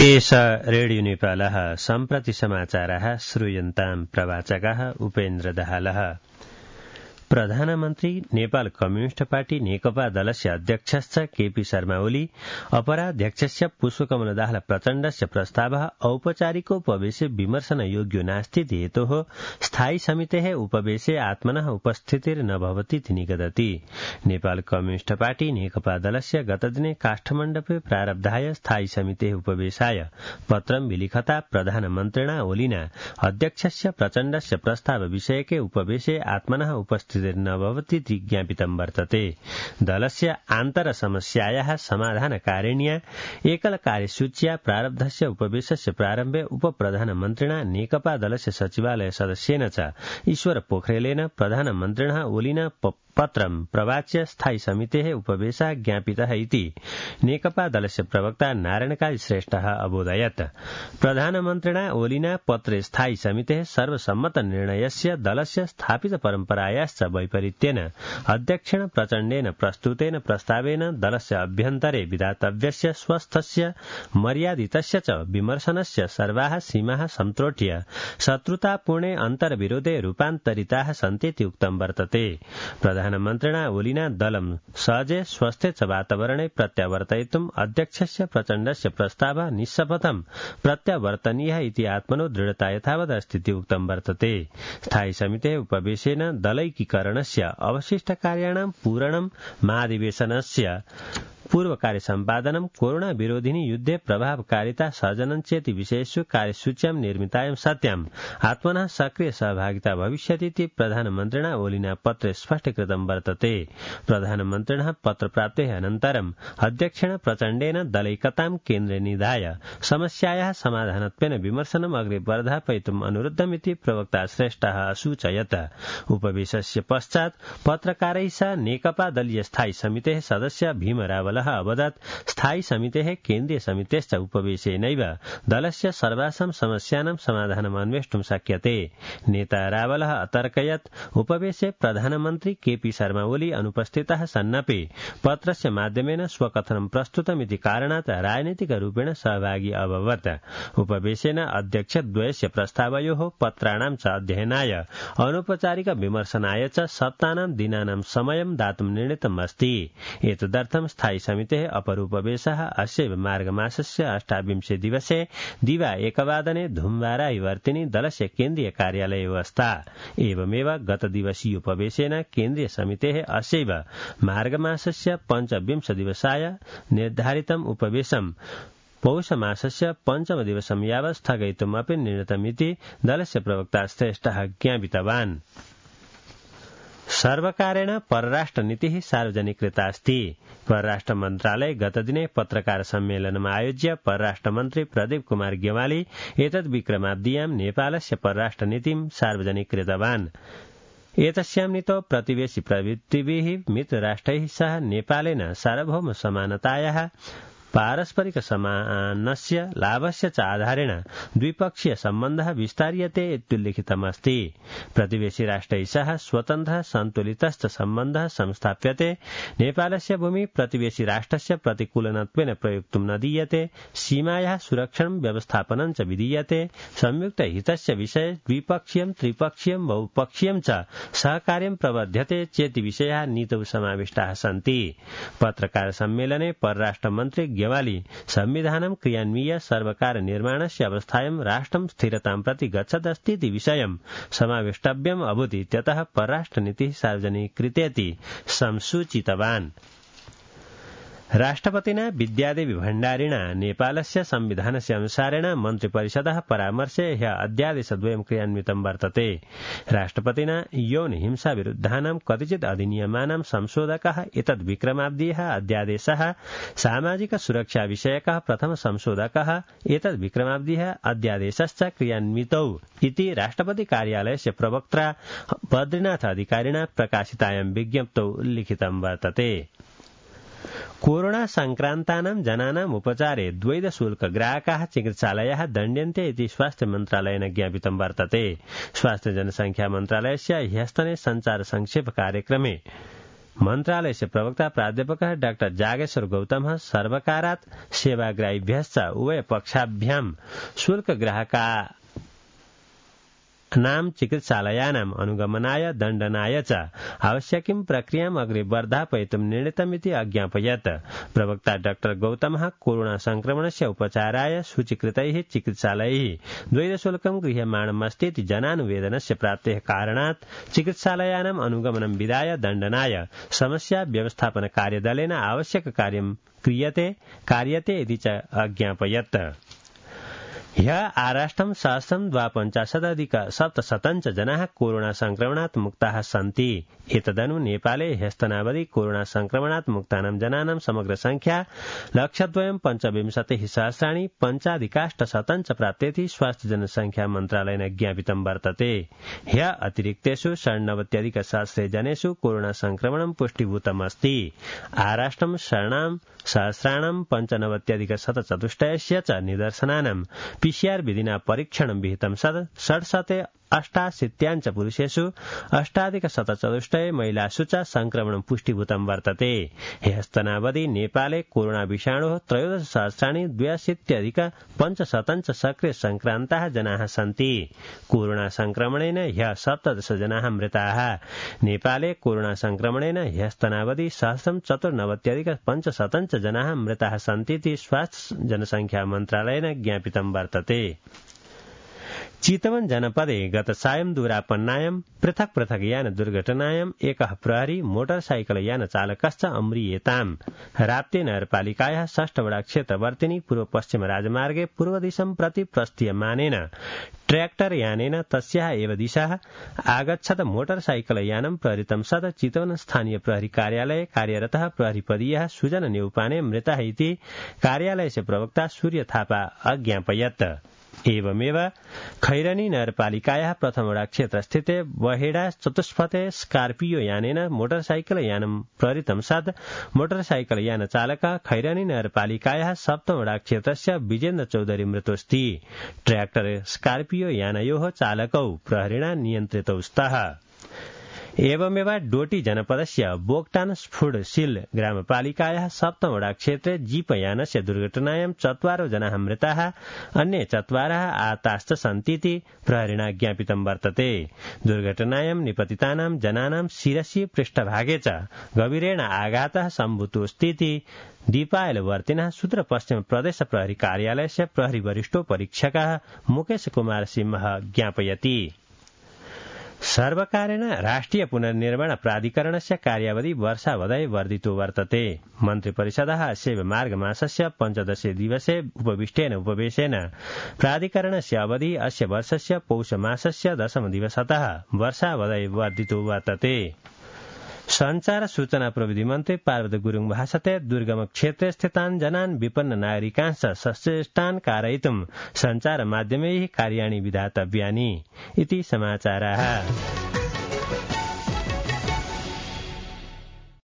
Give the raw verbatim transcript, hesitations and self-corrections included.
एष रेडियो नेपालः सम्प्रति समाचारः श्रूयन्ताम् प्रवाचकः उपेन्द्र दाहालः। प्रधानमन्त्री नेपाल कम्युनिस्ट पार्टी नेकपा दलस्य अध्यक्षश्च केपी शर्मा ओली अपराध्यक्षस्य पुष्पकमल दाहाल प्रचण्डस्य प्रस्तावः औपचारिकोपवेशे विमर्शनयोग्यो नास्तीति हेतोः स्थायी समितेः उपवेशे आत्मनः उपस्थितिर्न भवतीति निगदति। नेपाल कम्युनिस्ट पार्टी नेकपा दलस्य गतदिने काष्ठमण्डपे प्रारब्धाय स्थायी समितेः उपवेशाय पत्रं विलिखता प्रधानमन्त्रिणा ओलिना अध्यक्षस्य प्रचण्डस्य प्रस्ताव विषयके उपवेशे आत्मनः उपस्थिति न भवतीति ज्ञापितं वर्तते। दलस्य आन्तर समस्यायाः समाधानकारिण्या एकल कार्यसूच्या प्रारब्धस्य उपवेशस्य प्रारम्भे उपप्रधानमन्त्रिणा नेकपा दलस्य सचिवालय सदस्येन च ईश्वर पोखरेलेन प्रधानमन्त्रिणः ओलिना पत्रं प्रवाच्य स्थायी समितेः उपवेशः ज्ञापितः इति नेकपा दलस्य प्रवक्ता नारायणकाली श्रेष्ठः अबोधयत्। प्रधानमन्त्रिणा ओलिना पत्रे स्थायी समितेः सर्वसम्मत निर्णयस्य दलस्य स्थापित परम्परायाश्च वैपरीत्येन अध्यक्षेण प्रचण्डेन प्रस्तुतेन प्रस्तावेन दलस्य अभ्यन्तरे विधातव्यस्य स्वस्थस्य मर्यादितस्य च विमर्शनस्य सर्वाः सीमाः संत्रोट्य शत्रुतापूर्णे अन्तर्विरोधे रूपान्तरिताः सन्तीति उक्तं वर्तते। प्रधानमन्त्रिणा ओलिना दलं सहजे स्वस्थे च वातावरणे प्रत्यावर्तयितुम् अध्यक्षस्य प्रचण्डस्य प्रस्तावः निःशपथं प्रत्यावर्तनीयः इति आत्मनो दृढता यथावदस्तीति उक्तं वर्तते। स्थायी समितेः उपवेशेन दलैकीकरणस्य अवशिष्टकार्याणां पूरणं महाधिवेशनस्य पूर्व कार्य सम्पादनं कोरोना विरोधिनी युद्धे प्रभावकारिता सर्जनं चेति विषयेषु कार्यसूच्यां निर्मितायां सत्याम् आत्मनः सक्रिय सहभागिता भविष्यतीति प्रधानमन्त्रिणा ओलिना पत्रे स्पष्टीकृतं वर्तते। प्रधानमन्त्रिणः पत्रप्राप्तेः अनन्तरम् अध्यक्षेण प्रचण्डेन दलैकतां केन्द्रे निधाय समस्यायाः समाधानत्वेन विमर्शनम् अग्रे वर्धापयितुम् अनुरुद्धमिति प्रवक्ता श्रेष्ठः असूचयत्। उपवेशस्य पश्चात् पत्रकारैः सह नेकपा दलीय स्थायी समितेः सदस्य भीम रावलः अवदत् स्थायी समितेः केन्द्रीय समितेश्च उपवेशेनैव दलस्य सर्वासां समस्यानां समाधानम् अन्वेष्टुं शक्यते। नेता रावलः अतर्कयत् उपवेशे प्रधानमन्त्री केपी शर्मा ओली अनुपस्थितः सन्नपि पत्रस्य माध्यमेन स्वकथनं प्रस्तुतमिति कारणात् राजनीतिकरूपेण सहभागी अभवत्। उपवेशेन अध्यक्षद्वयस्य प्रस्तावयोः पत्राणां च अध्ययनाय अनौपचारिक विमर्शनाय च सप्ताहनां दिनानां समयं दातुं निर्णीतम् अस्ति। एतदर्थं स्थायी समितेः अपरूपवेशः अस्यैव मार्गमासस्य अष्टाविंशे दिवसे दिवा एकवादने धुम्बारायवर्तिनि दलस्य केन्द्रीय कार्यालये अवस्था। एवमेव गतदिवसीय उपवेशेन केन्द्रीय समितेः अस्यैव मार्गमासस्य पञ्चविंश दिवसाय निर्धारितम् उपवेशम् पौषमासस्य पञ्चम दिवसं यावत् स्थगयितुमपि निर्णीतमिति दलस्य प्रवक्ता श्रेष्ठः ज्ञापितवान्। सर्वकारेण परराष्ट्रनीतिः सार्वजनिकृतास्ति। परराष्ट्र मन्त्रालय गतदिने पत्रकार सम्मेलनम् आयोज्य परराष्ट्रमन्त्री प्रदीप कुमार गेवाली एतद् विक्रमाब्द्यां नेपालस्य परराष्ट्रनीतिं सार्वजनिकृतवान्। एतस्यां नीतौ प्रतिवेशि प्रवृत्तिभिः मित्रराष्ट्रैः सह नेपालेन सार्वभौम समानतायाः पारस्परिक समानस्य लाभस्य च आधारेण द्विपक्षीय सम्बन्धः विस्तार्यते इत्युल्लिखितमस्ति। प्रतिवेशि राष्ट्रैः सह स्वतन्त्रः सन्तुलितश्च सम्बन्धः संस्थाप्यते। नेपालस्य भूमि प्रतिवेशि राष्ट्रस्य प्रतिकूलनत्वेन प्रयोक्तुं न दीयते। सीमायाः सुरक्षणं व्यवस्थापनं च विधीयते। संयुक्त हितस्य विषये द्विपक्षीयं त्रिपक्षीयं बहुपक्षीयं च सहकार्यं प्रवर्ध्यते चेति विषयाः नीतौ समाविष्टाः सन्ति। पत्रकार सम्मेलने परराष्ट्रमन्त्री गेवाली संविधानं क्रियान्वीय सर्वकार निर्माणस्य अवस्थायां राष्ट्रं स्थिरतां प्रति गच्छदस्तीति विषयं समावेष्टव्यम् अभूत् इत्यतः परराष्ट्रनीतिः सार्वजनिकृतेति संसूचितवान्। राष्ट्रपतिना विद्यादेवी भण्डारिणा नेपालस्य संविधानस्य अनुसारेण मन्त्रिपरिषदः परामर्शे ह्य अध्यादेशद्वयं क्रियान्वितं वर्तते। राष्ट्रपतिना यौन हिंसा विरुद्धानां कतिचित् अधिनियमानां संशोधकः एतद् विक्रमाब्दीयः अध्यादेशः सामाजिक सुरक्षा विषयकः प्रथम संशोधकः एतद् विक्रमाब्दीयः अध्यादेशश्च क्रियान्वितौ इति राष्ट्रपति कार्यालयस्य प्रवक्त्रा बद्रीनाथ अधिकारिणा प्रकाशितायां विज्ञप्तौ उल्लिखितं वर्तते। कोरोना संक्रान्तानां जनानाम् उपचारे द्वैध शुल्क ग्राहकाः चिकित्सालयाः दण्ड्यन्ते इति स्वास्थ्य मन्त्रालयेन ज्ञापितं वर्तते। स्वास्थ्य जनसंख्या मन्त्रालयस्य ह्यस्तने संचार संक्षेप कार्यक्रमे मन्त्रालयस्य प्रवक्ता प्राध्यापकः डाक्टर जागेश्वर गौतमः सर्वकारात् सेवाग्राहिभ्यश्च उभयपक्षाभ्यां शुल्कग्राहका नाम चिकित्सालयानाम् अनुगमनाय दण्डनाय च आवश्यकीं प्रक्रियाम् अग्रे वर्धापयितुं निर्णीतमिति अज्ञापयत्। प्रवक्ता डाक्टर गौतमः कोरोना संक्रमणस्य उपचाराय सूचीकृतैः चिकित्सालयैः द्वैतशुल्कं गृह्यमाणमस्तीति जनानुवेदनस्य प्राप्तेः कारणात् चिकित्सालयानाम् अनुगमनं विधाय दण्डनाय समस्या व्यवस्थापन कार्यदलेन आवश्यक कार्यं क्रियते कार्यते इति च अज्ञापयत्। ह्यः आराष्ट्रं सहस्रं द्वापञ्चाशदधिक सप्तशतञ्च जनाः कोरोना संक्रमणात् मुक्ताः सन्ति। एतदनु नेपाले ह्यस्तनावधि कोरोना संक्रमणात् मुक्तानां जनानां समग्र संख्या लक्षद्वयं पञ्चविंशतिः सहस्राणि पञ्चाधिकाष्टशतञ्च प्राप्तेति स्वास्थ्य जनसंख्या मन्त्रालयेन ज्ञापितं वर्तते। ह्यः अतिरिक्तेषु षण्णवत्यधिक सहस्रे जनेषु कोरोना संक्रमणं पुष्टिभूतमस्ति। आराष्ट्रं षण्णां सहस्राणां पञ्चनवत्यधिक शतचतुष्टयस्य च निदर्शनानां पीसीआर विधिना परीक्षणं विहितं सद षट्शते अष्टाशीत्याञ्च पुरुषेषु अष्टाधिक शतचतुष्टये महिलासु च संक्रमणं पुष्टिभूतं वर्तते। ह्यस्तनावधि नेपाले कोरोना विषाणोः त्रयोदश सहस्राणि द्व्यशीत्यधिक पञ्चशतञ्च सक्रिय संक्रान्ताः जनाः सन्ति। कोरोना संक्रमणेन ह्यः सप्तदश जनाः मृताः। नेपाले कोरोना संक्रमणेन ह्यस्तनावधि सहस्रं चतुर्नवत्यधिक पञ्चशतञ्च जनाः मृताः सन्तीति स्वास्थ्य जनसंख्या मन्त्रालयेन ज्ञापितं वर्तते। चितवन जनपदे गत सायं दूरापन्नायां पृथक् पृथक् यान दुर्घटनायां एकः प्रहरी मोटरसाइकल यान चालकश्च अम्रियेताम्। राप्ती नगरपालिकायाः षष्ठवडा क्षेत्रवर्तिनी पूर्व पश्चिम राजमार्गे पूर्वदिशं प्रति प्रस्थीयमानेन ट्रैक्टर यानेन तस्याः एव दिशाः आगच्छत मोटरसाइकल यानं प्रहृतं सद चितवन स्थानीय प्रहरी कार्यालये कार्यरतः प्रहरीपदीयः सुजन नेउपाने मृतः इति कार्यालयस्य प्रवक्ता सूर्य थापा अज्ञापयत्। एवमेव खैरनी नगरपालिकायाः प्रथमवडा क्षेत्रस्थिते वहेडा चतुष्पथे स्कार्पियो यानेन मोटरसाइकल यानं प्रहृतं सद मोटरसाइकल यान चालकः खैरनी नगरपालिकायाः सप्तमवडा क्षेत्रस्य विजेन्द्र चौधरी मृतोऽस्ति। ट्रैक्टर स्कार्पियो यानयोः चालकौ प्रहरिणा नियन्त्रितौ स्तः। एवमेव डोटी जनपदस्य बोक्टान स्फुडसिल ग्रामपालिकायाः सप्तमवडा क्षेत्रे जीपयानस्य दुर्घटनायां चत्वारो जनाः मृताः अन्ये चत्वारः आहताश्च सन्तीति प्रहरिणा ज्ञापितं वर्तते। दुर्घटनायां निपतितानां जनानां शिरसि पृष्ठभागे च गभीरेण आघातः सम्भूतोऽस्तीति दीपायलवर्तिनः सूत्र पश्चिम प्रदेश प्रहरी कार्यालयस्य प्रहरी वरिष्ठो परीक्षकः मुकेश कुमार सिंह ज्ञापयति। सर्वकारेण राष्ट्रिय पुनर्निर्माण प्राधिकरणस्य कार्यावधि वर्षावधये वर्धितो वर्तते। मन्त्रिपरिषदः अस्य मार्गमासस्य पञ्चदशे दिवसे उपविष्टेन उपवेशेन प्राधिकरणस्य अवधि अस्य वर्षस्य पौषमासस्य दशमदिवसतः वर्षावधये वर्धितो वर्तते। संचार सूचना प्रविधि मन्त्री पार्वती गुरुङ भाषते दुर्गम क्षेत्रे स्थितान् जनान् विपन्न नागरिकांश्च सचेष्टान् कारयितुं संचार माध्यमैः कार्याणि विधातव्यानि इति समाचाराः।